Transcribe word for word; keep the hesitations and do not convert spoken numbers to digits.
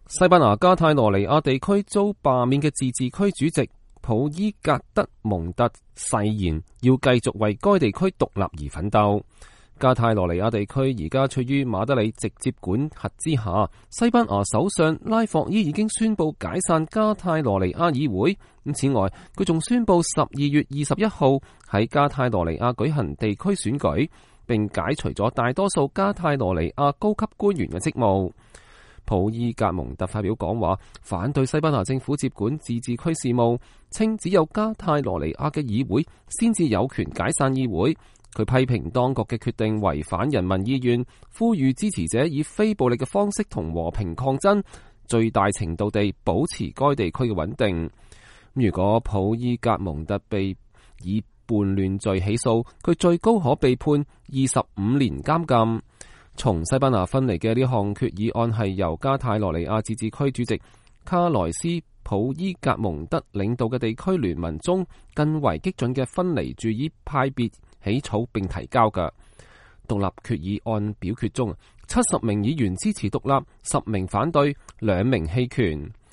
西班牙加泰羅尼亞地區遭罷免嘅自治區主席普伊格德蒙特誓言要繼續為該地區獨立而奮鬥。加泰羅尼亞地區而家處於馬德里直接管轄之下。西班牙首相拉霍伊已經宣布解散加泰羅尼亞議會。咁此外，佢仲宣布十二月二十一號喺加泰羅尼亞舉行地區選舉，並解除咗大多數加泰羅尼亞高級官員嘅職務。普伊格蒙特發表講話，反對西班牙政府接管自治區事務，稱只有加泰羅尼亞嘅議會先至有權解散議會。佢批評當局嘅決定違反人民意願，呼籲支持者以非暴力嘅方式同和，和平抗爭，最大程度地保持該地區嘅穩定。如果普伊格蒙特被以叛亂罪起訴，佢最高可被判二十五年監禁。從西班牙分離嘅呢項決議案係由加泰羅尼亞自治區主席卡萊斯普伊格蒙德領導嘅地區聯盟中更為激進嘅分離主義派別起草並提交嘅。獨立決議案表決中，七十名議員支持獨立，十名反對，兩名棄權。